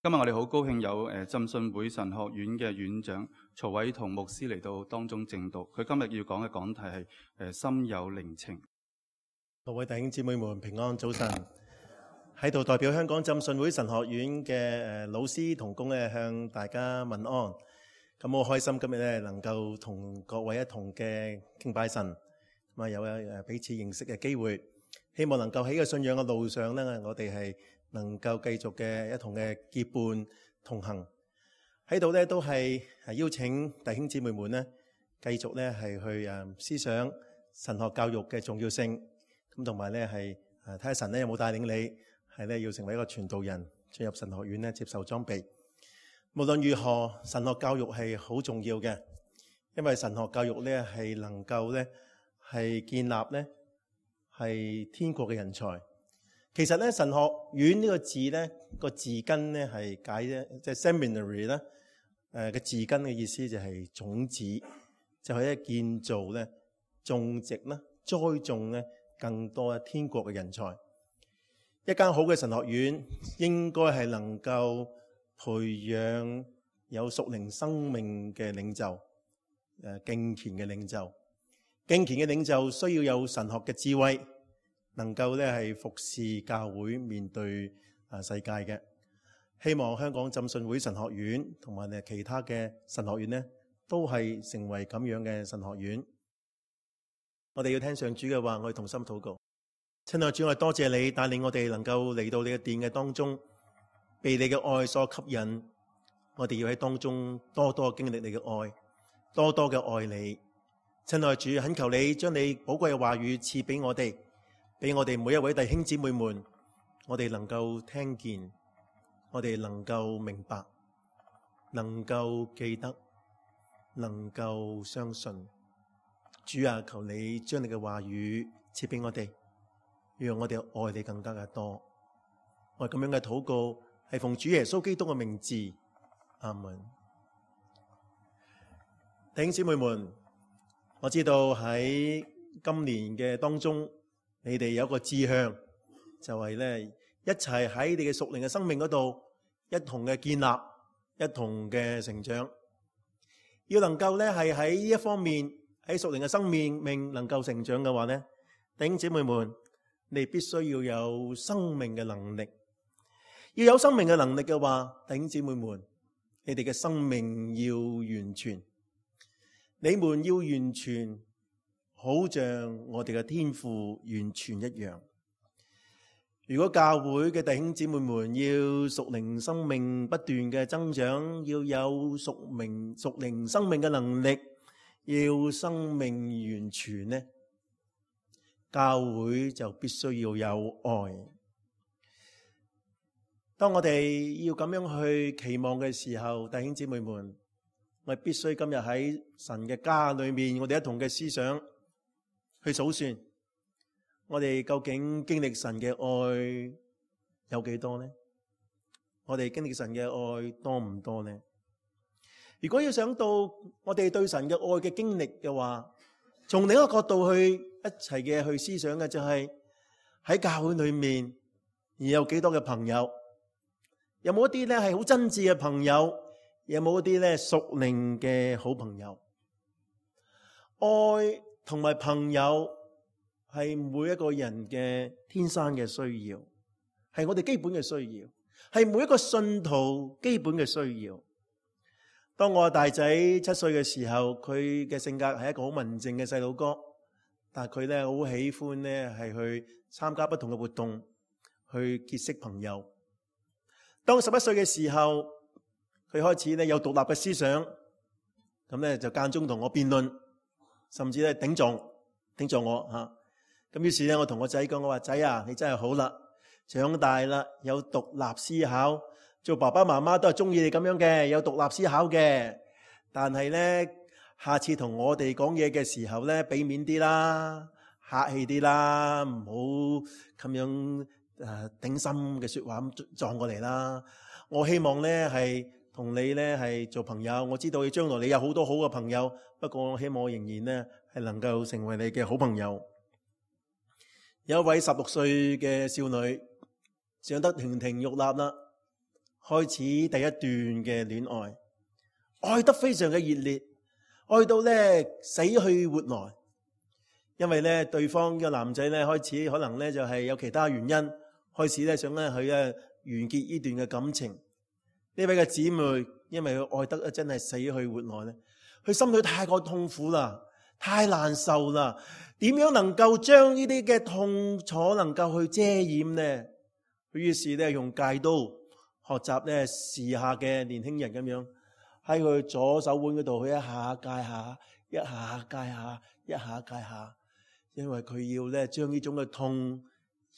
今日我哋好高興有浸信會神學院嘅院長曹偉同牧師嚟到當中證道。佢今日要講嘅講題係心有靈情。各位弟兄姊妹們平安，早晨。喺度代表香港浸信會神學院嘅老師同工咧，向大家問安。咁好開心今日咧能夠同各位一同嘅敬拜神，咁啊有彼此認識嘅機會。希望能夠喺個信仰嘅路上咧，我哋係能夠繼續嘅一同嘅結伴同行。喺度咧都係邀請弟兄姊妹們咧，繼續咧係去思想神學教育嘅重要性。咁同埋咧係睇下神咧有冇帶領你係咧要成為一個傳道人，進入神學院咧接受裝備。無論如何，神學教育係好重要嘅，因為神學教育咧係能夠咧係建立咧係天國嘅人才。其實咧神學院呢個字咧個字根咧係解咧即係 seminary 咧嘅字根嘅意思就係種子，就係咧建造咧種植啦栽種咧更多天國嘅人才。一間好嘅神學院應該係能夠培養有屬靈生命嘅領袖，敬虔嘅領袖。敬虔嘅領袖需要有神學嘅智慧，能夠咧係服侍教會面對世界嘅。希望香港浸信會神學院同埋其他嘅神學院呢，都係成為咁樣嘅神學院。我哋要聽上主嘅話，我哋同心禱告。親愛主，我哋多謝你帶領我哋能夠嚟到你嘅殿嘅當中，被你嘅愛所吸引。我哋要喺當中多多經歷你嘅愛，多多嘅愛你。親愛主，懇求你將你寶貴嘅話語賜俾我哋，俾我哋每一位弟兄姊妹們，我哋能夠聽見，我哋能夠明白，能夠記得，能夠相信。主啊，求你將你嘅話語賜俾我哋，讓我哋愛你更加嘅多。我咁樣嘅禱告係奉主耶穌基督嘅名字，阿門。弟兄姊妹們，我知道喺今年嘅當中，你哋有一個志向，就係咧一齊喺你嘅屬靈嘅生命嗰度一同嘅建立，一同嘅成長。要能夠咧係喺呢一方面喺屬靈嘅生命能夠成長嘅話咧，弟兄姊妹們，你必須要有生命嘅能力。要有生命嘅能力嘅話，弟兄姊妹們，你哋嘅生命要完全，你們要完全，好像我哋嘅天父完全一樣。如果教會嘅弟兄姊妹們要屬靈生命不斷嘅增長，要有屬靈生命嘅能力，要生命完全呢，教會就必須要有愛。當我哋要咁樣去期望嘅時候，弟兄姊妹們，我哋必須今日喺神嘅家裏面，我哋一同嘅思想去數算，我哋究竟經歷神嘅愛有幾多呢？我哋經歷神嘅愛多唔多呢？如果要想到我哋對神嘅愛嘅經歷嘅話，從另一個角度去一齊嘅去思想嘅就係喺教會裏面而有幾多嘅朋友，有冇一啲咧係好真摯嘅朋友，有冇一啲咧屬靈嘅好朋友？愛同埋朋友係每一個人嘅天生嘅需要，係我哋基本嘅需要，係每一個信徒基本嘅需要。當我大仔7歲嘅時候，佢嘅性格係一個好文靜嘅細佬哥，但係佢咧好喜歡咧係去參加不同嘅活動，去結識朋友。當11歲嘅時候，佢開始咧有獨立嘅思想，咁咧就間中同我辯論，甚至咧頂撞我吓。咁於是咧我同我仔講，我話仔啊，你真係好啦，長大啦，有獨立思考。做爸爸媽媽都係中意你咁樣嘅，有獨立思考嘅。但係咧，下次同我哋講嘢嘅時候咧，俾面啲啦，客氣啲啦，唔好咁樣頂心嘅說話咁撞過嚟啦。我希望咧係同你咧係做朋友。我知道你將來你有好多好嘅朋友，不過我希望我仍然咧係能夠成為你嘅好朋友。有一位16歲嘅少女，長得亭亭玉立啦。開始第一段嘅戀愛，愛得非常嘅熱烈，愛到咧死去活來。因為咧對方嘅男仔咧開始可能咧就係有其他原因，開始咧想咧去完結呢段嘅感情。呢位嘅姊妹因為佢愛得真係死去活來咧，佢心裏太過痛苦啦，太難受啦。點樣能夠將呢啲嘅痛楚能夠去遮掩呢？佢於是咧用戒刀學習咧時下嘅年輕人咁樣喺佢左手腕嗰度，佢一下戒下，一下戒下，一下戒下，因為佢要咧將呢種嘅痛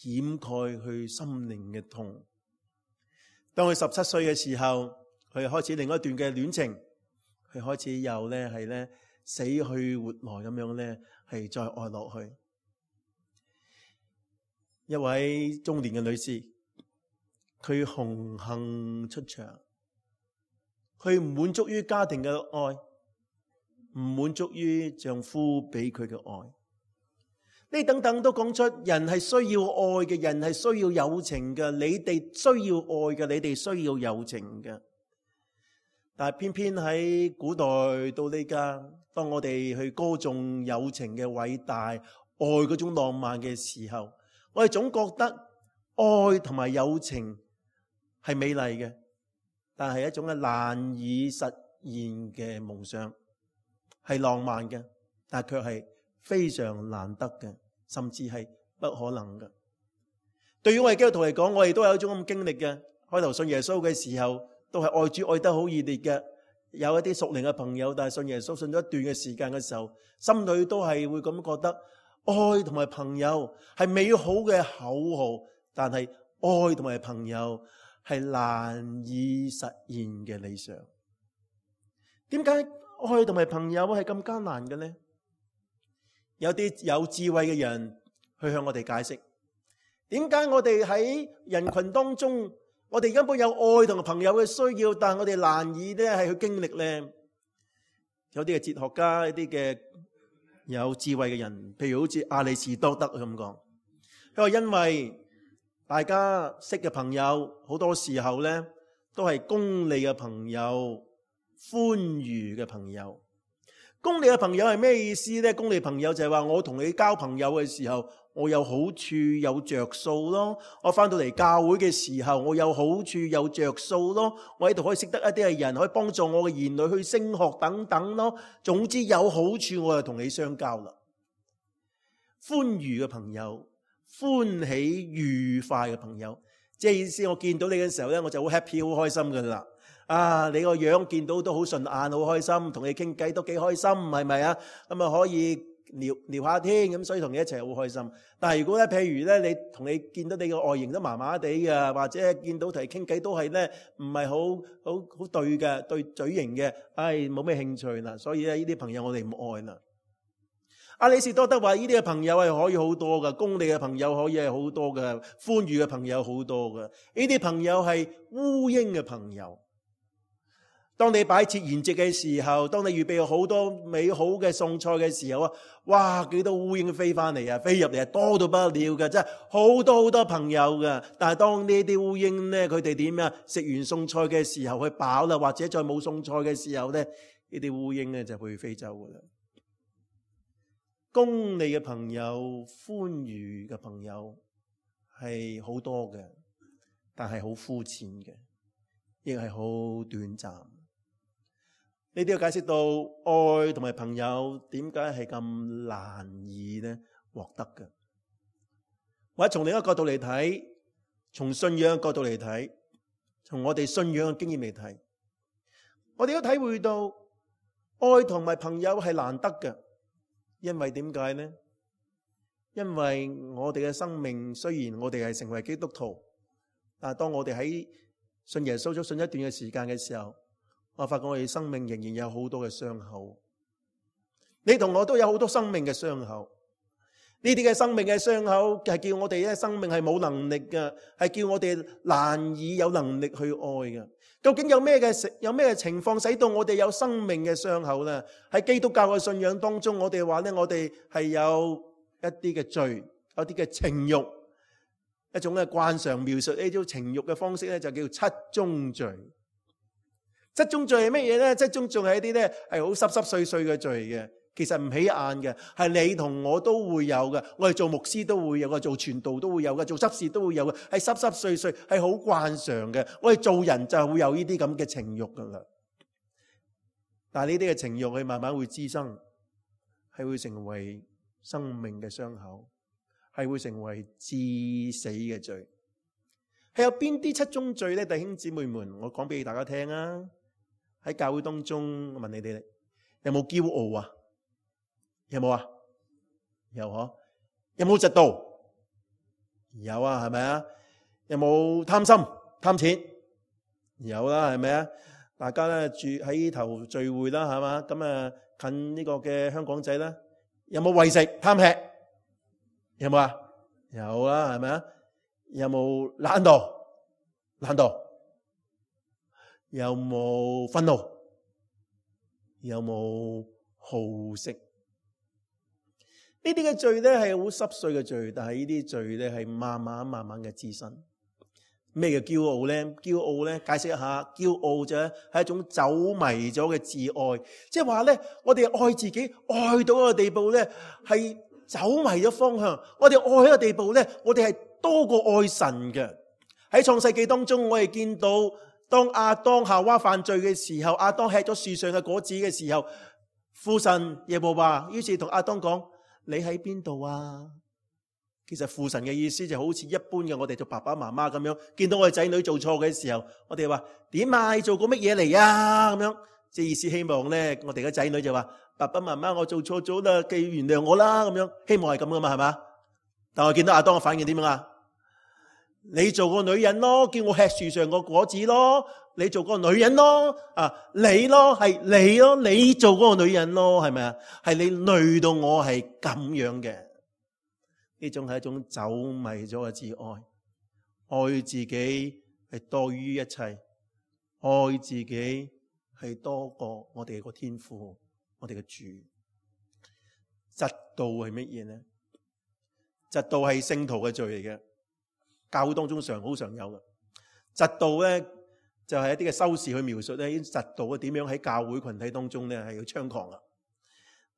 掩蓋佢心靈嘅痛。當佢17歲嘅時候，佢開始另一段嘅戀情，佢開始又咧係咧死去活來咁樣咧係再愛落去。一位中年嘅女士，佢紅杏出牆，佢唔滿足於家庭嘅愛，唔滿足於丈夫俾佢嘅愛。呢等等都講出人係需要愛嘅，人係需要友情嘅。你哋需要愛嘅，你哋需要友情嘅。但係偏偏喺古代到呢家，當我哋去歌頌友情嘅偉大，愛嗰種浪漫嘅時候，我哋總覺得愛同埋友情係美麗嘅，但係一種難以實現嘅夢想，係浪漫嘅，但係卻係非常難得嘅，甚至係不可能嘅。對於我哋基督徒嚟講，我哋都有一種咁經歷嘅。開頭信耶穌嘅時候，都係愛主愛得好熱烈嘅。有一啲屬靈嘅朋友，但係信耶穌信咗一段嘅時間嘅時候，心裏都係會咁覺得，愛同埋朋友係美好嘅口號，但係愛同埋朋友係難以實現嘅理想。點解愛同埋朋友係咁艱難嘅呢？有啲有智慧嘅人去向我哋解釋，點解我哋喺人群當中，我哋根本有愛同埋朋友嘅需要，但係我哋難以咧係去經歷呢？有啲嘅哲學家，一啲嘅有智慧嘅人，譬如好似亞里士多德咁講，佢話因為大家識嘅朋友好多時候咧都係功利嘅朋友、歡愉嘅朋友。功利嘅朋友係咩意思呢？功利朋友就係話我同你交朋友嘅時候，我有好處有着數咯。我翻到嚟教會嘅時候，我有好處有着數咯。我喺度可以識得一啲嘅人，可以幫助我嘅兒女去升學等等咯。總之有好處，我就同你相交啦。歡愉嘅朋友，歡喜愉快嘅朋友，即係意思我見到你嘅時候咧，我就好 happy 好開心噶啦。啊！你個樣見到都好順眼，好開心，同你傾偈都幾開心，係咪啊？咁啊可以聊下天，咁所以同你一齊好開心。但係如果咧，譬如咧，你見到你個外形都麻麻地嘅，或者見到同你傾偈都係咧唔係好對嘅，對嘴型嘅，冇咩興趣啦。所以咧，呢啲朋友我哋唔愛啦。亞里士多德話：呢啲嘅朋友係可以好多嘅，功利嘅朋友可以係好多嘅，歡愉嘅朋友好多嘅。呢啲朋友係烏蠅嘅朋友。當你擺設筵席嘅時候，當你預備好多美好嘅餸菜嘅時候啊，哇！幾多烏蠅飛翻嚟啊，飛入嚟啊，多到不得了嘅，真係好多朋友嘅。但係當呢啲烏蠅咧，佢哋點啊？食完餸菜嘅時候，佢飽啦，或者再冇餸菜嘅時候咧，呢啲烏蠅咧就會飛走噶啦。功利嘅朋友、歡愉嘅朋友係好多嘅，但係好膚淺嘅，亦係好短暫。呢啲要解釋到愛同埋朋友點解係咁難以咧獲得嘅，或者從另一個角度嚟睇，從信仰嘅角度嚟睇，從我哋信仰嘅經驗嚟睇，我哋都體會到愛同埋朋友係難得嘅。因為點解呢？因為我哋嘅生命雖然我哋係成為基督徒，但係當我哋喺信耶穌咗信一段嘅時間嘅時候，我發覺我哋生命仍然有好多嘅傷口。你同我都有好多生命嘅傷口。呢啲嘅生命嘅傷口係叫我哋咧生命係冇能力嘅，係叫我哋難以有能力去愛嘅。究竟有咩嘅情況使到我哋有生命嘅傷口呢？喺基督教嘅信仰當中，我哋話咧，我哋係有一啲嘅罪，有啲嘅情慾，一種咧慣常描述呢種情慾嘅方式咧，就叫七宗罪。七宗罪係乜嘢咧？七宗罪係一啲咧係好濕濕碎碎嘅罪嘅，其實唔起眼嘅，係你同我都會有嘅。我哋做牧師都會有嘅，做傳道都會有嘅，做執事都會有嘅，係濕濕碎碎，係好慣常嘅。我哋做人就會有呢啲咁嘅情慾噶啦。但係呢啲嘅情慾，佢慢慢會滋生，係會成為生命嘅傷口，係會成為致死嘅罪。係有邊啲七宗罪咧？弟兄姊妹們，我講俾大家聽啊！喺教會當中，我問你哋有冇驕傲啊？有冇啊？有嗬？有冇嫉妒？有啊，係咪啊？有冇貪心貪錢？有啦，係咪啊？大家咧住喺頭聚會啦，係嘛？咁啊近呢個嘅香港仔啦，有冇為食貪吃？有冇啊？有啦，係咪啊？有冇懶惰？懶惰？有冇憤怒？有冇好色？呢啲嘅罪咧係好濕碎嘅罪，但係呢啲罪咧係慢慢嘅滋生。咩叫驕傲咧？驕傲咧，解釋一下，驕傲就係一種走迷咗嘅自愛，即係話咧，我哋愛自己愛到一個地步咧，係走迷咗方向。我哋愛一個地步咧，我哋係多過愛神嘅。喺創世紀當中，我哋見到當亞當夏娃犯罪嘅時候，亞當吃咗樹上嘅果子嘅時候，父神耶和華於是同亞當講：你喺邊度啊？其實父神嘅意思就好似一般嘅我哋做爸爸媽媽咁樣，見到我哋仔女做錯嘅時候，我哋話點啊？你做過乜嘢嚟啊？咁樣即係意思希望咧，我哋嘅仔女就話：爸爸媽媽，我做錯咗啦，記原諒我啦。咁樣希望係咁噶嘛，係嘛？但我見到亞當嘅反應點樣啊？你做個女人咯，叫我吃樹上個果子咯，你做個女人咯，你咯，係你咯，你做嗰個女人咯，係咪啊？係你累到我係咁樣嘅，呢種係一種走迷咗嘅自愛，愛自己係多於一切，愛自己係多過我哋個天父，我哋嘅主。嫉妒係乜嘢呢？嫉妒係聖徒嘅罪嚟嘅。教會當中好常有嘅嫉妒咧，就係一啲嘅修士去描述咧，嫉妒點樣喺教會群體當中咧係要猖狂啊！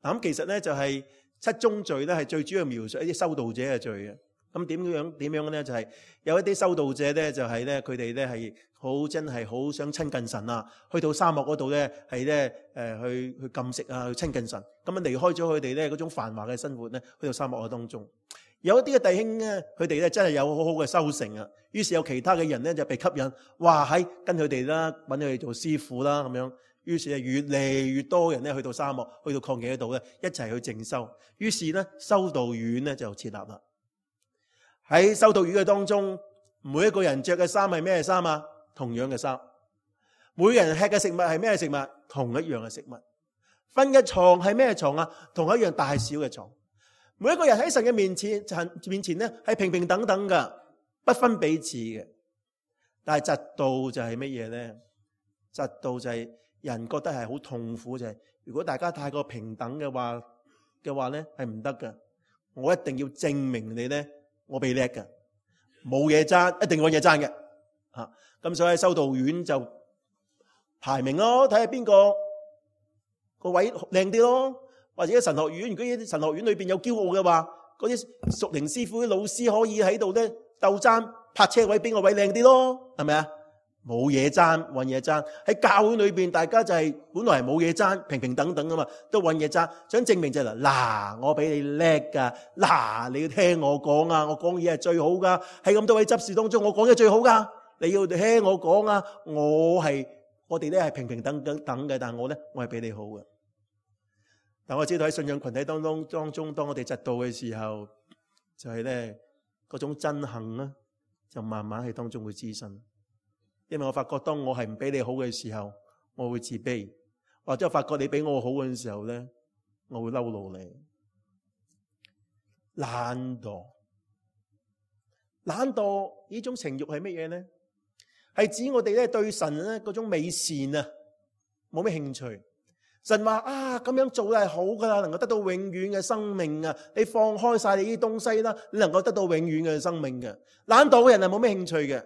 咁其實咧就係七宗罪咧係最主要描述一啲修道者嘅罪嘅。咁點樣咧？就係有一啲修道者咧，就係咧佢哋咧係好真係好想親近神啊！去到沙漠嗰度咧係咧去禁食啊，去親近神。咁樣離開咗佢哋咧嗰種繁華嘅生活咧，去到沙漠嘅當中。有一啲嘅弟兄咧，佢哋咧真係有好好嘅修成啊，於是有其他嘅人咧就被吸引，哇喺跟佢哋啦，揾佢哋做師傅啦咁樣。於是越嚟越多人咧去到沙漠，去到曠野嗰度咧，一齊去靜修。於是咧修道院咧就設立啦。喺修道院嘅當中，每一個人着嘅衫係咩衫啊？同樣嘅衫。每個人吃嘅食物係咩食物？同一樣嘅食物。瞓嘅床係咩床啊？同一樣大小嘅床。每一個人喺神嘅面前咧係平平等等噶，不分彼此嘅。但係嫉妒就係乜嘢咧？嫉妒就係人覺得係好痛苦，就係如果大家太過平等嘅話咧係唔得噶。我一定要證明你咧，我比叻噶，冇嘢爭，一定揾嘢爭嘅。咁所以喺修道院就排名咯，睇下邊個位靚啲咯。或者神學院，如果啲神學院裏邊有驕傲嘅話，嗰啲屬靈師傅啲老師可以喺度咧鬥爭泊車位，邊個位靚啲咯？係咪啊？冇嘢爭，揾嘢爭。喺教會裏邊，大家就係本來係冇嘢爭，平平等等噶嘛，都揾嘢爭，想證明就係嗱，我比你叻噶，嗱，你要聽我講啊，我講嘢係最好噶，喺咁多位執事當中，我講嘢最好噶，你要聽我講啊，我哋咧係平平等嘅，但係我係比你好嘅。但我知道喺信仰群體當中，當我哋嫉妒嘅時候，就係咧嗰種憎恨啦，就慢慢喺當中會滋生。因為我發覺當我係唔比你好嘅時候，我會自卑；或者我發覺你比我好嘅時候咧，我會嬲怒你。懶惰呢種情慾係乜嘢咧？係指我哋咧對神咧嗰種美善啊，冇咩興趣。神話啊，咁樣做係好噶啦，能夠得到永遠嘅生命啊！你放開晒你啲東西啦，你能夠得到永遠嘅生命嘅。懶惰嘅人係冇咩興趣嘅，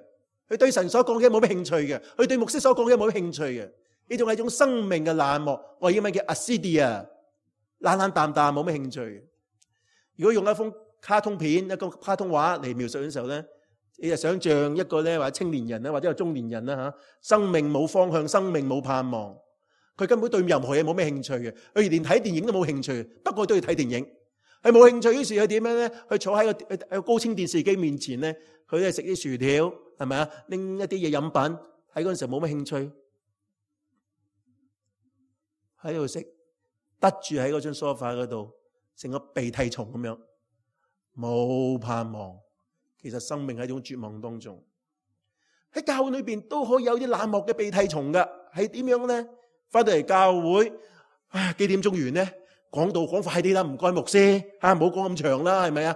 佢對神所講嘅冇咩興趣嘅，佢對牧師所講嘅冇咩興趣嘅。呢種係一種生命嘅冷漠，我英文叫 acedia， 懶懶淡淡冇咩興趣。如果用一幅卡通片、一個卡通畫嚟描述嘅時候咧，你就想象一個咧，或者青年人啦，或者係中年人啦吓，生命冇方向，生命冇盼望。佢根本對任何嘢冇咩興趣嘅，佢連睇電影都冇興趣。不過都要睇電影，佢冇興趣。於是佢點樣咧？佢坐喺個高清電視機面前咧，佢咧食啲薯條，係咪啊？拎一啲嘢飲品，喺嗰陣時候冇咩興趣，喺度食，得住喺嗰張梳化嗰度，成個鼻涕蟲咁樣，冇盼望。其實生命喺一種絕望當中。喺教會裏邊都可以有啲冷漠嘅鼻涕蟲噶，係點樣咧？翻到嚟教會，幾點鐘完咧？講道講快啲啦，唔該牧師，唔好講咁長啦，係咪啊？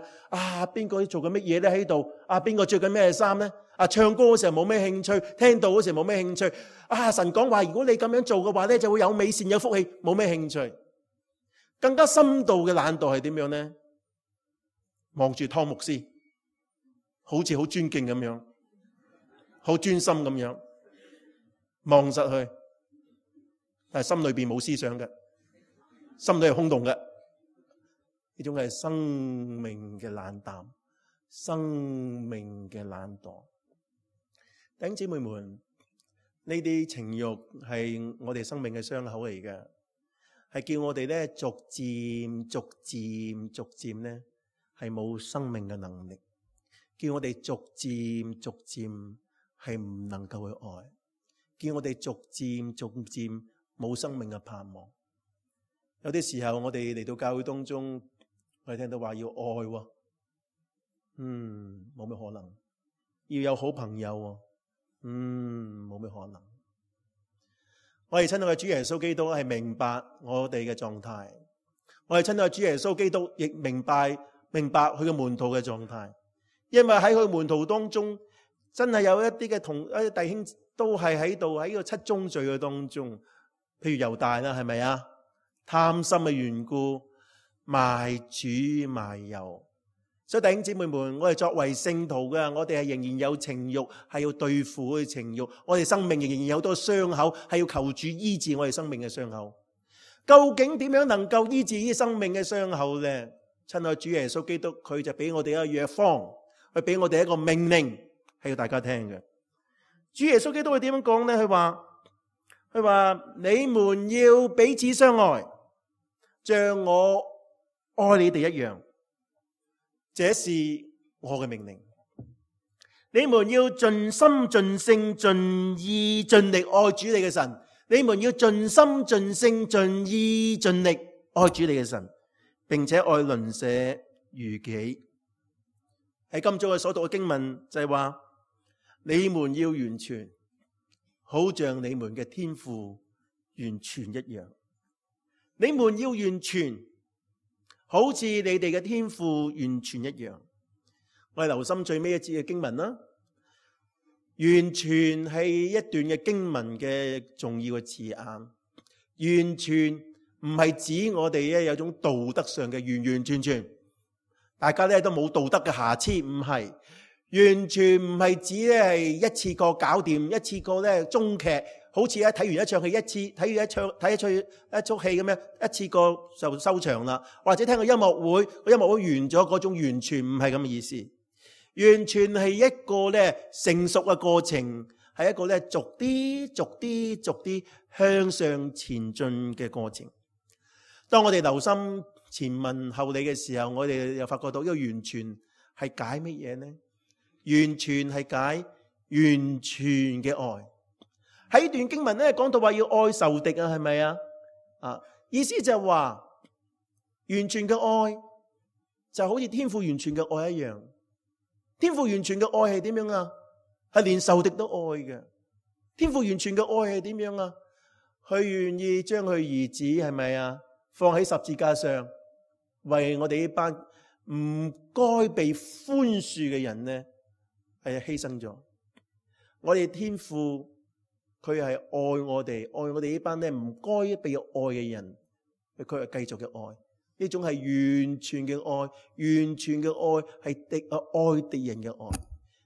邊個做緊乜嘢咧喺度？邊個着緊咩衫咧？唱歌嗰時候冇咩興趣，聽道嗰時候冇咩興趣。神講話，如果你咁樣做嘅話咧，就會有美善有福氣，冇咩興趣。更加深度嘅懶惰係點樣咧？望住湯牧師，好似好尊敬咁樣，好專心咁樣望實去。但係心裏邊冇思想嘅，心裏係空洞嘅。呢種係生命嘅冷淡，生命嘅懶惰。弟兄姊妹們，呢啲情慾係我哋生命嘅傷口嚟嘅，係叫我哋咧逐漸咧係冇生命嘅能力，叫我哋逐漸係唔能夠去愛，叫我哋逐漸冇生命嘅盼望。有啲時候我哋嚟到教會當中，我哋聽到話要愛喎，冇咩可能。要有好朋友喎，冇咩可能。我哋親愛嘅主耶穌基督係明白我哋嘅狀態，我哋親愛嘅主耶穌基督亦明白佢嘅門徒嘅狀態，因為喺佢門徒當中真係有一啲嘅弟兄都係喺度喺個七宗罪嘅當中。譬如猶大啦，係咪啊？貪心嘅緣故，賣主賣友。所以弟兄姊妹們，我哋作為聖徒嘅，我哋係仍然有情慾，係要對付嘅情慾。我哋生命仍然有好多傷口，係要求主醫治我哋生命嘅傷口。究竟點樣能夠醫治呢啲生命嘅傷口呢？親愛主耶穌基督，佢就俾我哋一個藥方，佢俾我哋一個命令，係要大家聽嘅。主耶穌基督佢點樣講呢？佢話你們要彼此相愛，像我愛你哋一樣，這是我嘅命令。你們要盡心盡性盡意盡力愛主你嘅神。你們要盡心盡性盡意盡力愛主你嘅神，並且愛鄰舍如己。喺今早嘅所讀嘅經文就係話，你們要完全，好像你們嘅天父完全一樣。你們要完全，好似你哋嘅天父完全一樣。我哋留心最尾一節嘅經文啦。完全係一段嘅經文嘅重要嘅字眼。完全唔係指我哋咧有種道德上嘅完完全全，大家咧都冇道德嘅瑕疵，唔係。完全唔係指咧係一次過搞掂，一次過咧終劇，好似咧睇完一場戲睇一出戲咁樣，一次過就收場啦。或者聽個音樂會完咗嗰種，完全唔係咁嘅意思。完全係一個咧成熟嘅過程，係一個咧逐啲向上前進嘅過程。當我哋留心前文後理嘅時候，我哋又發覺到呢個完全係解乜嘢呢？完全係解完全嘅愛。喺呢段經文咧講到話要愛仇敵啊，係咪啊？意思就係話完全嘅愛就好似天父完全嘅愛一樣。天父完全嘅愛係點樣啊？係連仇敵都愛嘅。天父完全嘅愛係點樣啊？佢願意將佢兒子係咪啊放喺十字架上，為我哋呢班唔該被寬恕嘅人呢係犧牲咗。我哋天父佢係愛我哋呢班咧唔該被愛嘅人，佢係繼續嘅愛。呢種係完全嘅愛，完全嘅愛係愛敵人嘅愛。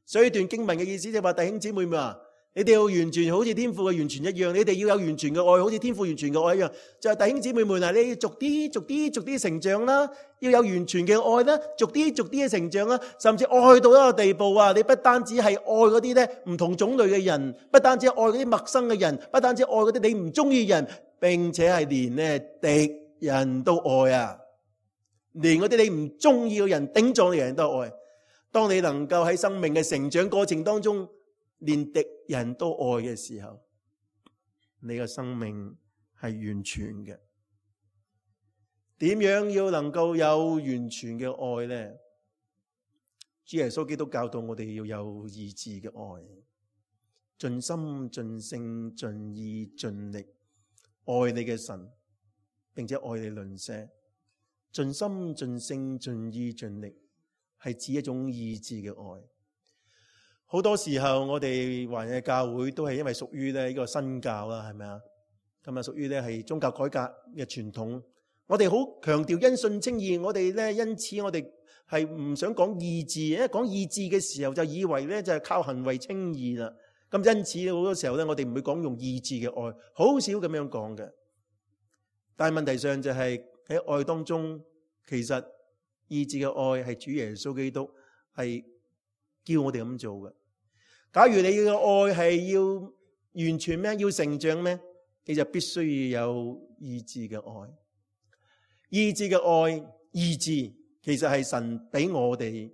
所以呢段經文嘅意思就係話，弟兄姊妹們啊，你哋要完全好似天父嘅完全一樣，你哋要有完全嘅愛，好似天父完全嘅愛一樣。就係弟兄姊妹們啊，你要逐啲成長啦，要有完全嘅愛啦，逐啲嘅成長啦，甚至愛到一個地步啊！你不單止係愛嗰啲咧唔同種類嘅人，不單止愛嗰啲陌生嘅人，不單止愛嗰啲你唔中意嘅人，並且係連咧敵人都愛啊！連嗰啲你唔中意嘅人、頂撞嘅人都愛。當你能夠喺生命嘅成長過程當中，連敵人都愛嘅時候，你嘅生命係完全嘅。點樣要能夠有完全嘅愛呢？主耶穌基督教導我哋要有意志嘅愛，盡心、盡性、盡意、盡力愛你嘅神，並且愛你鄰舍。盡心、盡性、盡意、盡力係指一種意志嘅愛。好多時候我哋華人嘅教會都係因為屬於呢個新教啦，係咪啊？咁啊屬於呢係宗教改革嘅傳統。我哋好強調因信稱義，我哋呢因此我哋係唔想講意志，因為講意志嘅時候就以為呢就係靠行為稱義啦。咁因此好多時候呢，我哋唔會講用意志嘅愛，好少咁樣講嘅。但係問題上就係喺愛當中，其實意志嘅愛係主耶穌基督係叫我哋咁做嘅。假如你嘅愛係要完全咩，要成長咩，你就必須要有意志嘅愛。意志嘅愛，意志其實係神俾我哋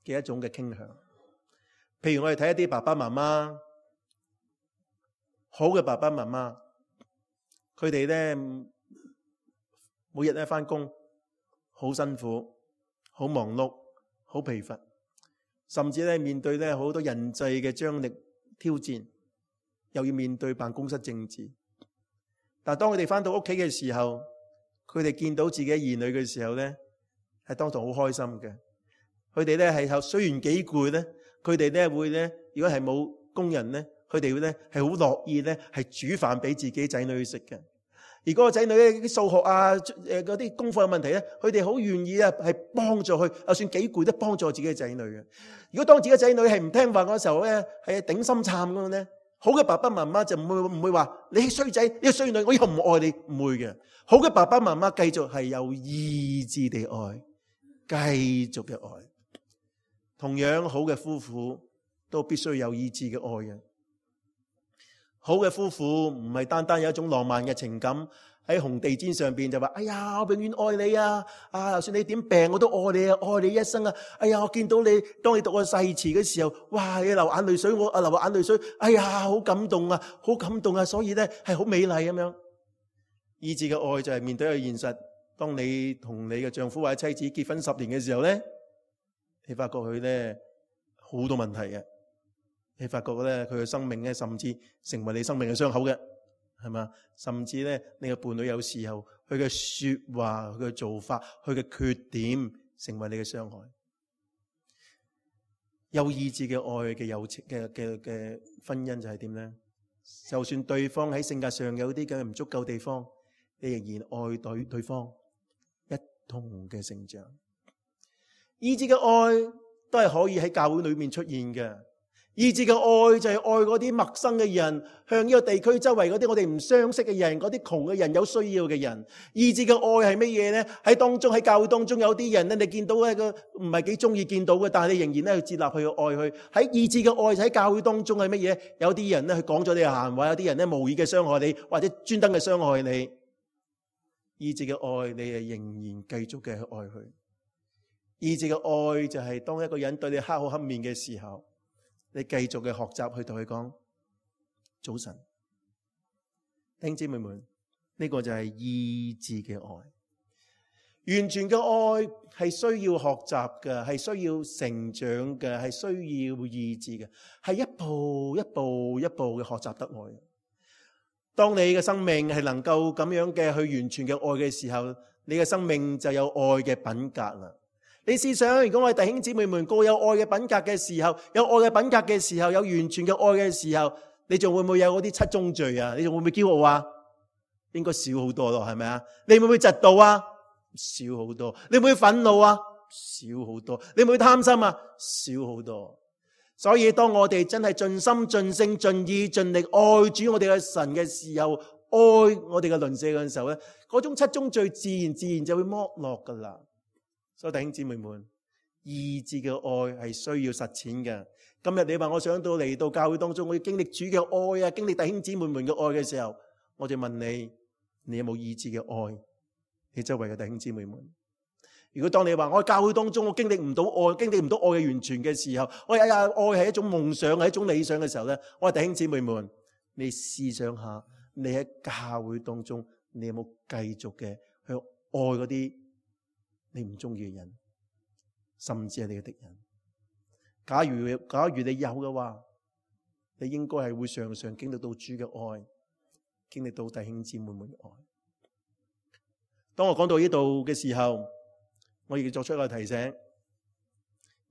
嘅一種嘅傾向。譬如我哋睇一啲爸爸媽媽，好嘅爸爸媽媽，佢哋咧每日咧返工好辛苦，好忙碌，好疲乏。甚至咧面對咧好多人際嘅張力挑戰，又要面對辦公室政治。但係當佢哋翻到屋企嘅時候，佢哋見到自己兒女嘅時候咧，係當堂好開心嘅。佢哋咧係雖然幾攰咧，佢哋咧會咧，如果係冇工人咧，佢哋會咧係好樂意咧係煮飯俾自己仔女去食嘅。而嗰個仔女咧啲數學啊嗰啲功課有問題咧，佢哋好願意啊係幫助佢，就算幾攰都幫助自己嘅仔女嘅。如果當自己仔女係唔聽話嗰時候咧，係頂心杉咁樣咧，好嘅爸爸媽媽就唔會話你衰仔，你衰女，我以後唔愛你，唔會嘅。好嘅爸爸媽媽繼續係有意志地愛，繼續嘅愛。同樣好嘅夫婦都必須有意志嘅愛嘅。好嘅夫婦唔係單單有一種浪漫嘅情感喺紅地毯上邊就話，哎呀，我永遠愛你啊！就算你點病我都愛你啊，愛你一生啊！哎呀，我見到你，當你讀個誓詞嘅時候，哇，你流眼淚水，我流眼淚水，哎呀，好感動啊，好感動啊！所以咧係好美麗咁樣。意志嘅愛就係面對一個現實，當你同你嘅丈夫或者妻子結婚10年嘅時候咧，你發覺佢咧好多問題嘅。你發覺咧，佢嘅生命咧，甚至成為你生命嘅傷口嘅，係嘛？甚至咧，你嘅伴侶有時候佢嘅說話、佢嘅做法、佢嘅缺點，成為你嘅傷害。有意志嘅愛嘅友情嘅婚姻就係點咧？就算對方喺性格上有啲嘅唔足夠地方，你仍然愛對方，一同嘅成長。意志嘅愛都係可以喺教會裏面出現嘅。意志嘅愛就係愛嗰啲陌生嘅人，向呢個地區周圍嗰啲我哋唔相識嘅人，嗰啲窮嘅人，有需要嘅人。意志嘅愛係乜嘢咧？喺教會當中有啲人咧，你見到一個唔係幾中意見到嘅，但係你仍然咧去接納佢，去愛佢。喺意志嘅愛喺教會當中係乜嘢？有啲人咧去講咗你嘅閒話，有啲人咧無意嘅傷害你，或者專登嘅傷害你。意志嘅愛，你係仍然繼續嘅去愛佢。意志嘅愛就係當一個人對你黑口黑面嘅時候，你繼續嘅學習去同佢講早晨。弟兄姊妹們，呢個就係意志嘅愛。完全嘅愛係需要學習嘅，係需要成長嘅，係需要意志嘅，係一步一步一步嘅學習得愛。當你嘅生命係能夠咁樣嘅去完全嘅愛嘅時候，你嘅生命就有愛嘅品格啦。你試想，如果我哋弟兄姊妹們個有愛嘅品格嘅時候，有愛嘅品格嘅時候，有完全嘅愛嘅時候，你仲會唔會有嗰啲七宗罪啊？你仲會唔會驕傲啊？應該少好多咯，係咪啊？你會唔會嫉妒啊？少好多。你會唔會憤怒啊？少好多。你會唔會貪心啊？少好多。所以當我哋真係盡心盡性盡意盡力愛主我哋嘅神嘅時候，愛我哋嘅鄰舍嘅時候咧，嗰種七宗罪自然就會剝落噶啦。所以弟兄姊妹們，義志嘅愛係需要實踐嘅。今日你話我想到嚟到教會當中，我要經歷主嘅愛啊，經歷弟兄姊妹們嘅愛嘅時候，我就問你，你有冇義志嘅愛？你周圍嘅弟兄姊妹們，如果當你話我喺教會當中我經歷唔到愛，經歷唔到愛嘅完全嘅時候，我愛係一種夢想，係一種理想嘅時候咧，我話弟兄姊妹們，你試想下，你喺教會當中，你有冇繼續嘅去愛嗰啲你唔中意嘅人，甚至係你嘅敵人？假如你有嘅話，你應該係會常常經歷到主嘅愛，經歷到弟兄姊妹們嘅愛。當我講到呢度嘅時候，我亦作出一個提醒：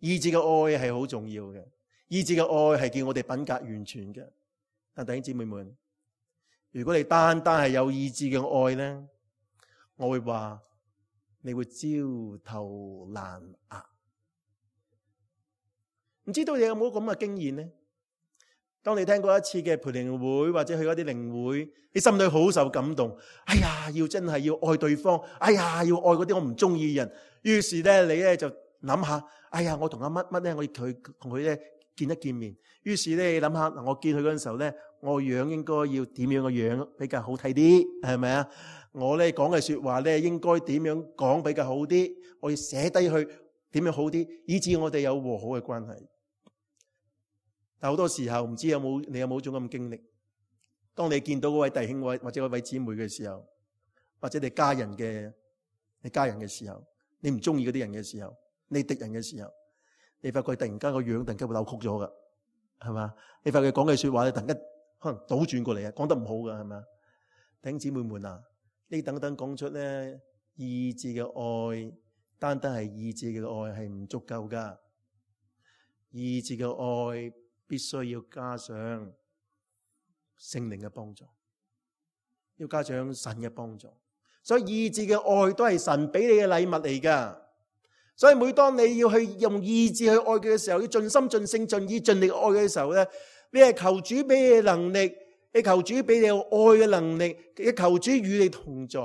義志嘅愛係好重要嘅，義志嘅愛係叫我哋品格完全嘅。但弟兄姊妹們，如果你單係有義志嘅愛咧，我會話你會焦頭爛額。唔知道你有冇咁嘅經驗呢？當你聽過一次嘅培靈會或者去嗰啲靈會，你心裏好受感動。哎呀，真係要愛對方。哎呀，要愛嗰啲我唔中意嘅人。於是咧，你咧就諗下，哎呀，我同阿乜咧，我要同佢咧見一見面。於是咧，你諗下，我見佢嗰陣時候咧，我樣應該要點樣嘅樣比較好睇啲，係咪啊？我咧講嘅說話咧，應該點樣講比較好啲？我要寫低去點樣好啲，以致我哋有和好嘅關係。但好多時候唔知你有冇種咁嘅經歷？當你見到嗰位弟兄或者嗰位姊妹嘅時候，或者你家人嘅時候，你唔中意嗰啲人嘅時候，你敵人嘅時候，你發覺突然間個樣突然間會扭曲咗噶，係嘛？你發覺講嘅說話咧，突然間可能倒轉過嚟啊，講得唔好噶，係咪？弟兄姊妹們啊，呢等講出咧義志嘅愛，單係義志嘅愛係唔足夠噶，義志嘅愛必須要加上聖靈嘅幫助，要加上神嘅幫助。所以義志嘅愛都係神俾你嘅禮物嚟噶。所以每當你要去用義志去愛佢嘅時候，要盡心盡性盡意盡力愛嘅時候咧，你係求主俾你嘅能力，你求主俾你有愛嘅能力，你求主與你同在。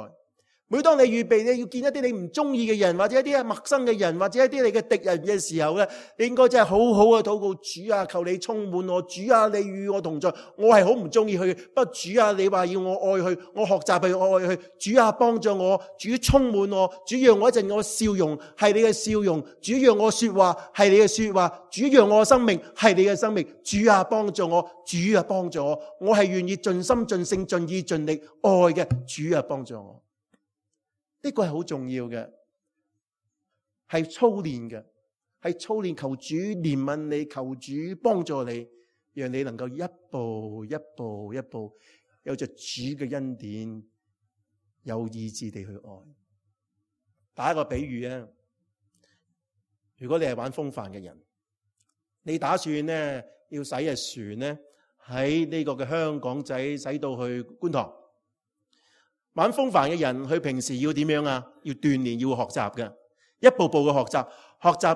每當你預備你要見一啲你唔中意嘅人，或者一啲陌生嘅人，或者一啲你嘅敵人嘅時候咧，你應該真係好好嘅禱告，主啊，求你充滿我，主啊，你與我同在。我係好唔中意佢，不過主啊，你話要我愛佢，我學習去愛佢。主啊，幫助我，主充滿我，主讓我一陣我笑容係你嘅笑容，主讓我說話係你嘅說話，主讓我生命係你嘅生命。主啊，幫助我，主啊，幫助我，我係願意盡心盡性盡意盡力愛嘅。主啊，幫助我。呢個係好重要嘅，係操練嘅，係操練求主憐憫你，求主幫助你，讓你能夠一步一步一步，有着主嘅恩典，有意志地去愛。打一個比喻啊，如果你係玩風帆嘅人，你打算呢要駛隻船呢喺呢個嘅香港仔駛到去觀塘。玩風帆嘅人，佢平時要點樣啊？要鍛煉，要學習嘅，一步步嘅學習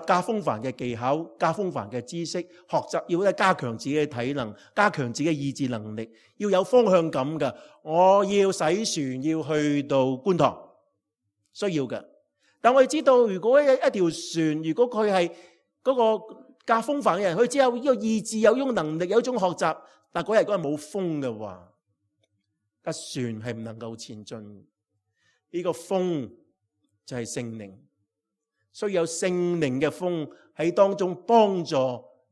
駕風帆嘅技巧，駕風帆嘅知識，學習要加強自己嘅體能，加強自己嘅意志能力，要有方向感嘅。我要駛船要去到觀塘，需要嘅。但我哋知道，如果一條船，如果佢係嗰個駕風帆嘅人，佢只有呢個意志，有呢種能力，有一種學習，但嗰日冇風嘅話，架船係唔能夠前進。呢個風就係聖靈，需要有聖靈嘅風喺當中幫助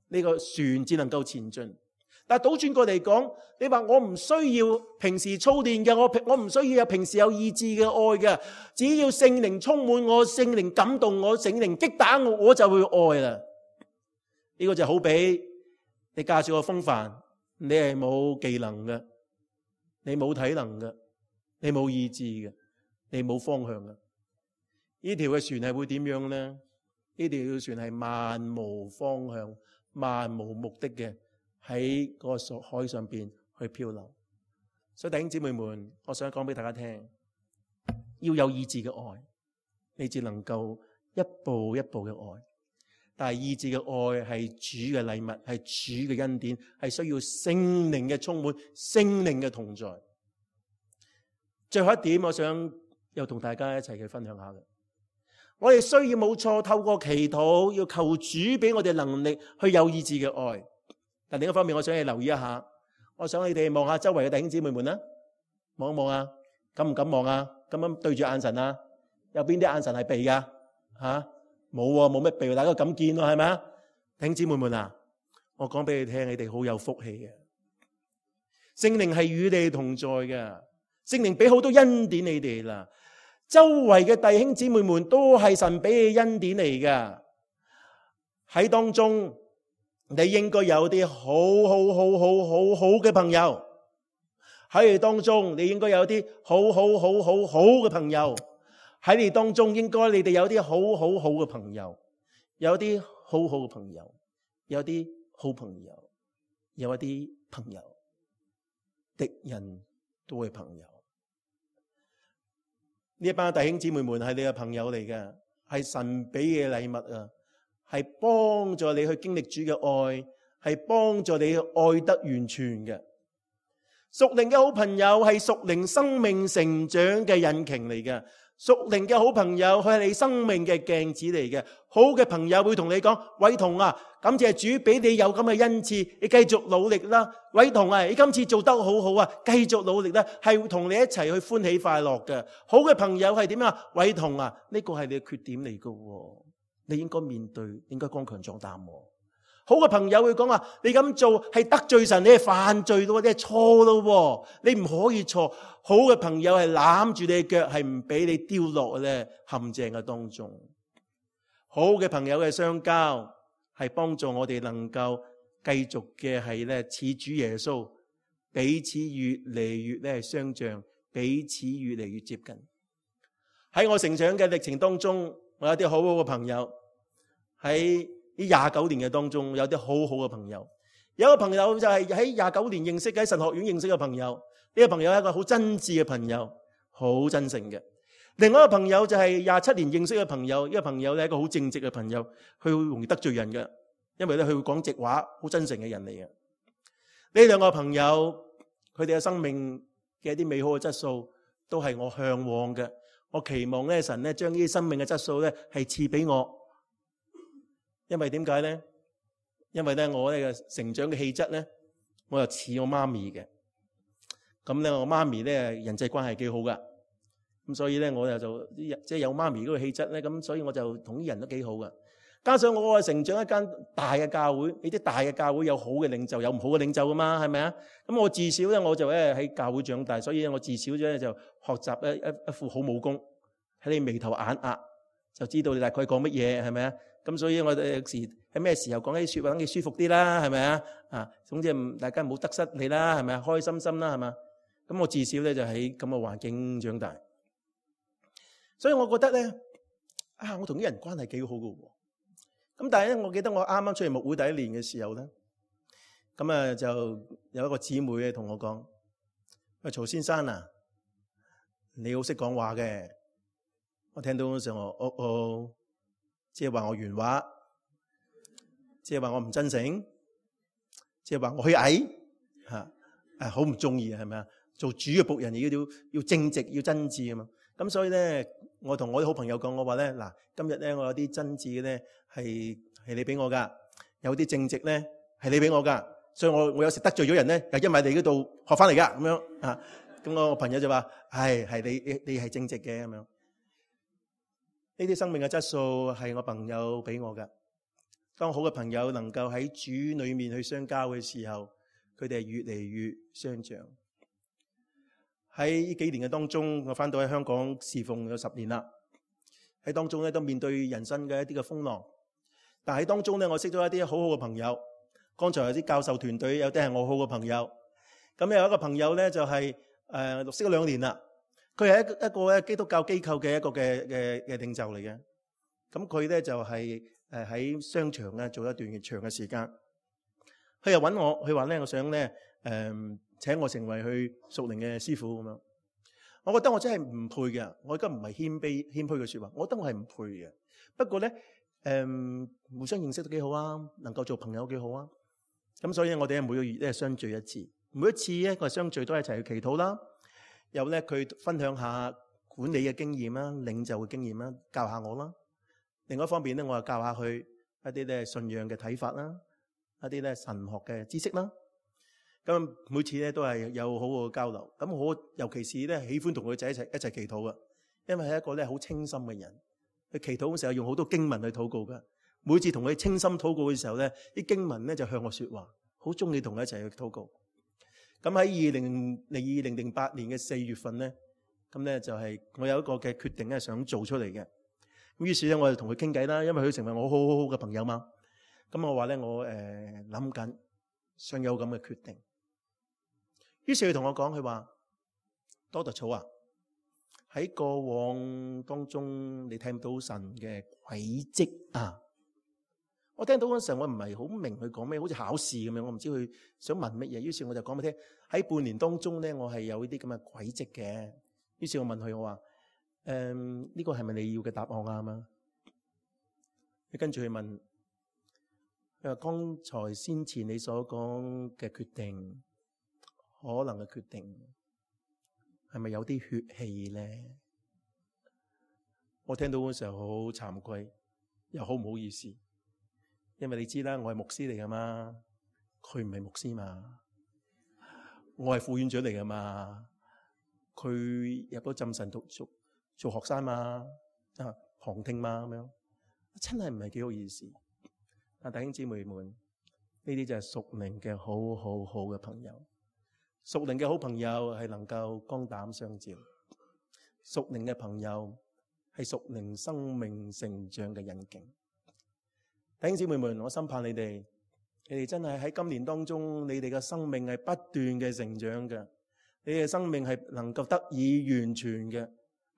呢個船只能夠前進。但係倒轉過嚟講，你話我唔需要平時操練嘅，我唔需要有平時有意志嘅愛嘅，只要聖靈充滿我，聖靈感動我，聖靈擊打我，我就會愛啦。呢個就好比你駕住個風帆，你係冇技能嘅。你冇體能嘅，你冇意志嘅，你冇方向嘅，呢條嘅船係會點樣呢？呢條船係漫無方向、漫無目的嘅，喺嗰個海上邊去漂流。所以弟兄姊妹們，我想講俾大家聽，要有意志嘅愛，你至能夠一步一步嘅愛。但係意志嘅愛係主嘅禮物，係主嘅恩典，係需要聖靈嘅充滿，聖靈嘅同在。最後一點，我想又同大家一齊去分享下嘅，我哋需要冇錯，透過祈禱要求主俾我哋能力去有意志嘅愛。但另一方面，我想你留意一下，我想你哋望下周圍嘅弟兄姊妹們啦，望一望啊，敢唔敢望啊？咁樣對住眼神啊？有邊啲眼神係避噶？吓？冇喎，冇乜避，大家咁見咯，係咪啊？弟兄姊妹們啊，我講俾你聽，你哋好有福氣嘅。聖靈係與你哋同在嘅，聖靈俾好多恩典你哋啦。周圍嘅弟兄姊妹們都係神俾嘅恩典嚟嘅。喺當中，你應該有啲好嘅朋友。喺你當中，你應該有啲好嘅朋友。喺你當中，應該你哋有啲好嘅朋友，有啲好嘅朋友，有啲好朋友，有一啲朋友，敵人都係朋友。呢一班弟兄姊妹們係你嘅朋友嚟嘅，係神俾嘅禮物啊，係幫助你去經歷主嘅愛，係幫助你去愛得完全嘅。屬靈嘅好朋友係屬靈生命成長嘅引擎嚟嘅。屬靈嘅好朋友，佢係你生命嘅鏡子嚟嘅。好嘅朋友會同你講：偉彤啊，感謝主俾你有咁嘅恩賜，你繼續努力啦。偉彤啊，你今次做得好好啊，繼續努力啦，係會同你一齊去歡喜快樂嘅。好嘅朋友係點啊？偉彤啊，呢個係你嘅缺點嚟嘅，你應該面對，應該剛強壯膽。好嘅朋友會講話：你咁做係得罪神，你係犯罪咯，你係錯咯，你唔可以錯。好嘅朋友係攬住你嘅腳，係唔俾你丟落咧陷阱嘅當中。好嘅朋友嘅相交係幫助我哋能夠繼續嘅係咧似主耶穌，彼此越嚟越咧相像，彼此越嚟越接近。喺我成長嘅歷程當中，我有啲好嘅朋友。喺呢29年嘅當中，有啲好嘅朋友。有一個朋友就係喺29年認識嘅，喺神學院認識嘅朋友。呢個朋友係一個好真摯嘅朋友，好真誠嘅。另外一個朋友就係27年認識嘅朋友。呢個朋友咧係一個好正直嘅朋友，佢會容易得罪人嘅，因為咧佢會講直話，好真誠嘅人嚟嘅。呢兩個朋友，佢哋嘅生命嘅一啲美好嘅質素，都係我向往嘅。我期望咧神咧將呢啲生命嘅質素咧係賜俾我。因為點解咧？因為咧我呢個成長嘅氣質咧，我又似我媽咪嘅。咁咧我媽咪咧人際關係幾好噶，咁所以咧我就即係有媽咪嗰個氣質咧，咁所以我就同啲人都幾好噶。加上我成長一間大嘅教會，呢啲大嘅教會有好嘅領袖，有唔好嘅領袖噶嘛，係咪啊？咁我自小咧我就喺教會長大，所以我自小咧就學習一副好武功，喺你眉頭眼額就知道你大概講乜嘢，係咪啊？咁所以我哋有時喺咩時候講啲說話等你舒服啲啦，係咪啊？啊，總之大家唔好得失你啦，係咪啊？開心心啦，係嘛？咁我至少咧就喺咁嘅環境長大，所以我覺得咧我同啲人關係幾好㗎喎。咁但係咧，我記得我啱啱出嚟牧會第一年嘅時候咧，咁就有一個姊妹咧同我講：喂，曹先生啊，你好識講話嘅。我聽到嗰時我即係話我原話，即係話我唔真誠，即係話我虛偽嚇，好唔中意啊，係咪啊？做主嘅僕人要正直，要真摯啊嘛。咁所以咧，我同我啲好朋友講，我話咧嗱，今日咧我有啲真摯嘅咧係你俾我噶，有啲正直咧係你俾我噶，所以我有時得罪咗人咧，又因為你嗰度學翻嚟噶咁樣啊。咁我朋友就話：係你係正直嘅咁樣。呢啲生命嘅質素係我朋友俾我噶。當好嘅朋友能夠喺主裏面去相交嘅時候，佢哋係越嚟越相像。喺呢幾年嘅當中，我翻到喺香港侍奉有10年啦。喺當中咧都面對人生嘅一啲嘅風浪，但喺當中咧我識咗一啲好好嘅朋友。剛才有啲教授團隊有啲係我好嘅朋友。咁有一個朋友咧就係識咗2年啦。佢係一個基督教機構嘅一個嘅領袖嚟嘅。咁佢咧就係喺商場咧做一段長嘅時間。佢又揾我，佢話咧，我想咧請我成為佢屬靈嘅師傅咁樣。我覺得我真係唔配嘅，我而家唔係謙虛嘅説話，我覺得我係唔配嘅。不過咧互相認識都幾好啊，能夠做朋友幾好啊。咁所以我哋每個月咧相聚一次，每一次咧我哋相聚都一齊去祈禱啦。有咧佢分享下管理嘅經驗啦、領袖嘅經驗啦，教下我啦。另外一方面咧，我又教下佢一啲咧信仰嘅睇法啦，一啲咧神學嘅知識啦。咁每次咧都係有好好嘅交流。咁我尤其是咧喜歡同佢仔一齊祈禱嘅，因為係一個咧好清心嘅人。佢祈禱嘅時候用好多經文去禱告嘅。每次同佢清心禱告嘅時候咧，啲經文咧就向我說話，好中意同佢一齊去禱告。咁喺2008年嘅4月份咧，咁咧就係我有一個嘅決定咧想做出嚟嘅。咁於是咧我就同佢傾偈啦，因為佢成為我好嘅朋友嘛。咁我話咧我諗緊想有咁嘅決定。於是佢同我講，佢話多特草啊，喺過往當中你睇唔到神嘅軌跡啊。我聽到嗰陣時候，我唔係好明佢講咩，好似考試咁樣，我唔知佢想問乜嘢。於是我就講俾佢聽，喺半年當中咧，我係有呢啲咁嘅軌跡嘅。於是我問佢，我話呢個係咪你要嘅答案啊嘛？佢跟住佢問，佢話剛才先前你所講嘅決定，可能嘅決定係咪有啲血氣咧？我聽到嗰時候好慚愧，又好唔好意思。因為你知啦，我係牧師嚟噶嘛，佢唔係牧師嘛，我係副院長嚟噶嘛，佢入咗浸神讀做學生嘛，旁聽嘛咁樣，真係唔係幾好意思。但弟兄姊妹們，呢啲就係屬靈嘅好嘅朋友，屬靈嘅好朋友係能夠肝膽相照，屬靈嘅朋友係屬靈生命成長嘅引徑。弟兄姊妹們，我心盼你哋真係喺今年當中，你哋嘅生命係不斷嘅成長嘅，你哋嘅生命係能夠得以完全嘅。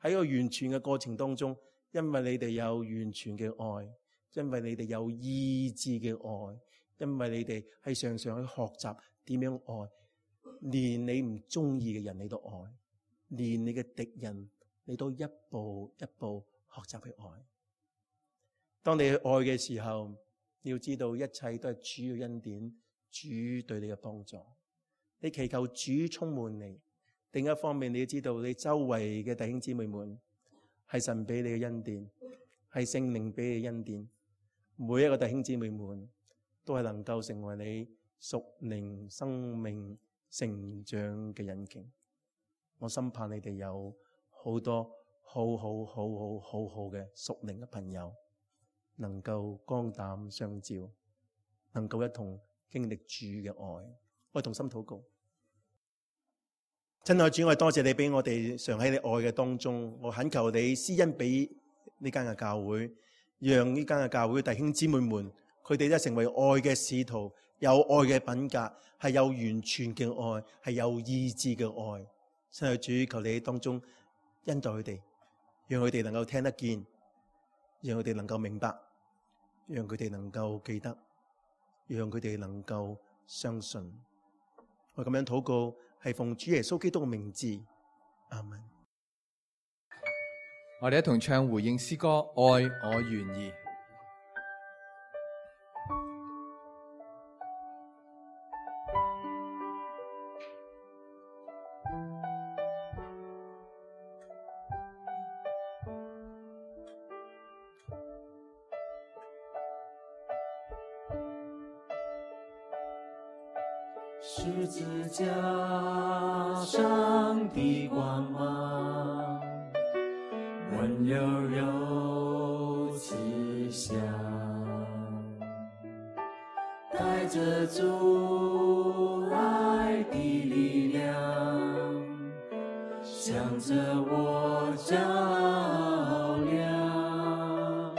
喺個完全嘅過程當中，因為你哋有完全嘅愛，因為你哋有意志嘅愛，因為你哋係常常去學習點樣愛，連你唔中意嘅人你都愛，連你嘅敵人你都一步一步學習去愛。當你去愛嘅時候，你要知道一切都係主嘅恩典，主對你嘅幫助。你祈求主充滿你。另一方面，你要知道你周圍嘅弟兄姊妹們係神俾你嘅恩典，係聖靈俾你嘅恩典。每一個弟兄姊妹們都係能夠成為你屬靈生命成長嘅引徑。我深盼你哋有好多好嘅屬靈嘅朋友，能夠肝膽相照，能夠一同經歷主嘅愛。我同心禱告。親愛主，我多謝你俾我哋常喺你愛嘅當中，我懇求你施恩俾呢間嘅教會，讓呢間嘅教會弟兄姊妹們，佢哋都成為愛嘅使徒，有愛嘅品格，係有完全嘅愛，係有意志嘅愛。親愛主，求你喺當中恩待佢哋，讓佢哋能夠聽得見，讓佢哋能夠明白，讓佢哋能夠記得，讓佢哋能夠相信。我咁樣禱告，係奉主耶穌基督嘅名字，阿門。我哋一同唱回應詩歌《愛我願意》。十字架上的光芒，温柔柔慈祥，带着主爱的力量，向着我照亮。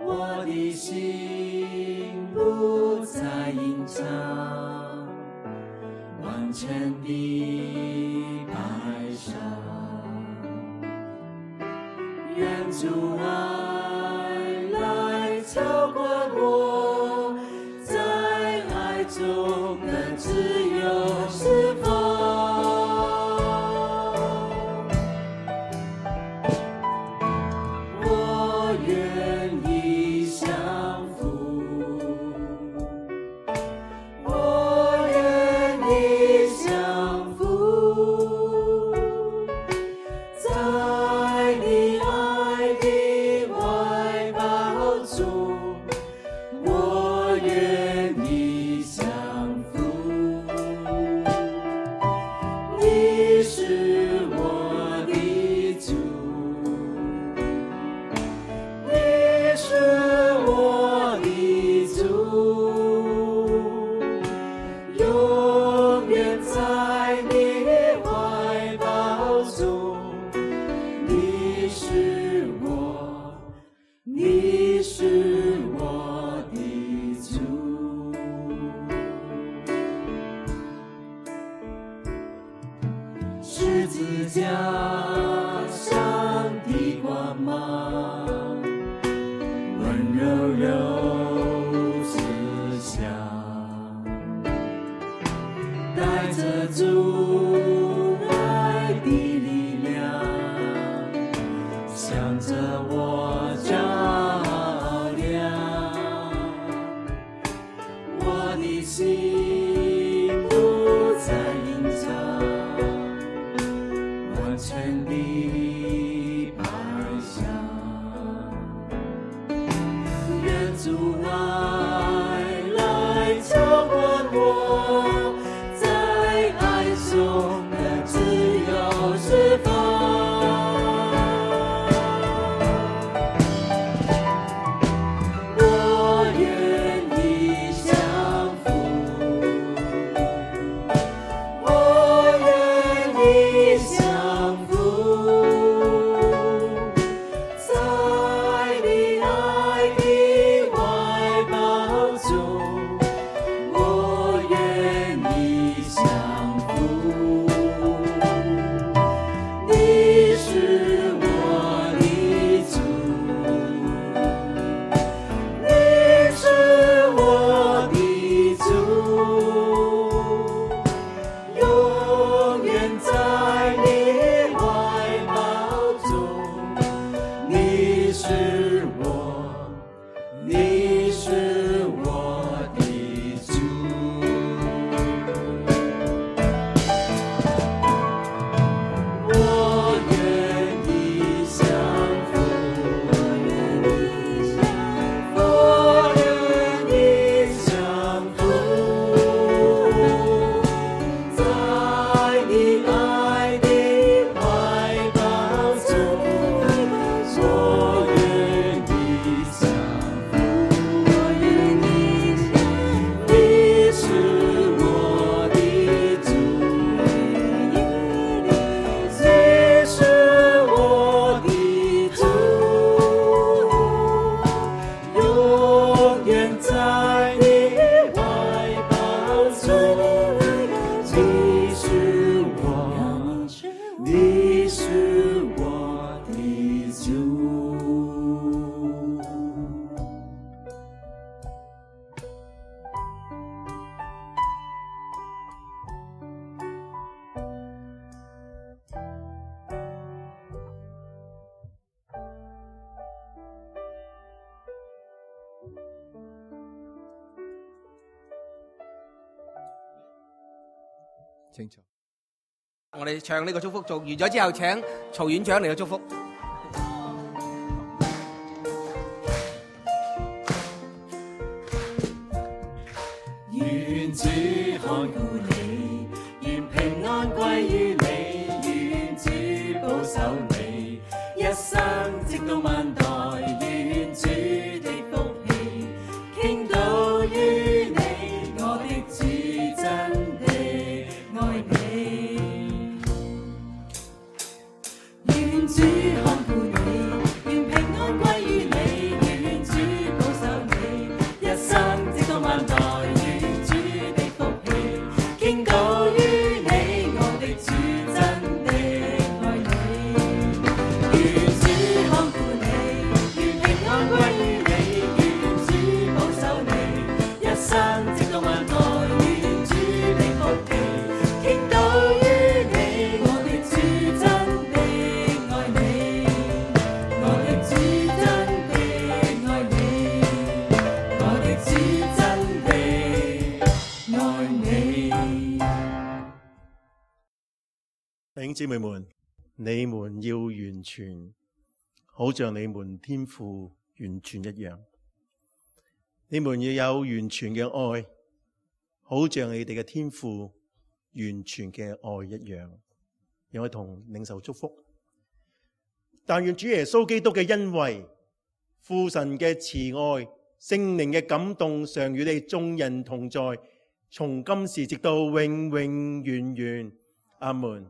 我的心不再隐藏，完全的摆上，愿主爱来浇灌我，在十字架上的光芒，温柔柔慈祥，带着主爱的力量，向着我照亮，我的心不再隐藏，完全的摆向，愿主爱来浇灌我，在爱中的自由释放。我愿意降服，我愿意降服，在你爱的怀抱中，我愿意降服。你是我的主，你是我的主，永远在你怀抱中。你是我，你是我的主。我愿意降服，我愿意降服，在你爱的怀抱中，我愿意降服，我愿意降服。你是我的主，你是我的主，永远在你怀抱中。你是我，你是我的主。清楚。我哋唱呢個祝福做完咗之後，請曹院長嚟到祝福。願主看顧你，願平安歸於你，願主保守你，一生直到萬代，願主的福氣傾倒於你，我的主真的愛你。願主看顧你，願平安歸於你，願主保守你，一生直到萬代，願主的福氣傾倒於你，我的主真的愛你。願主看顧你，願平安歸於你，願主保守你，一生直到萬代，願主的福氣傾倒於你，我的主真的愛你，我的主真的愛你，我的主真的愛你。弟兄姊妹們，你們要完全，好像你們天父完全一樣。你們要有完全嘅愛，好像你哋嘅天父完全嘅愛一樣。讓我同領受祝福。但願主耶穌基督嘅恩惠、父神嘅慈愛、聖靈嘅感動，常與你眾人同在，從今時直到永永遠遠。阿門。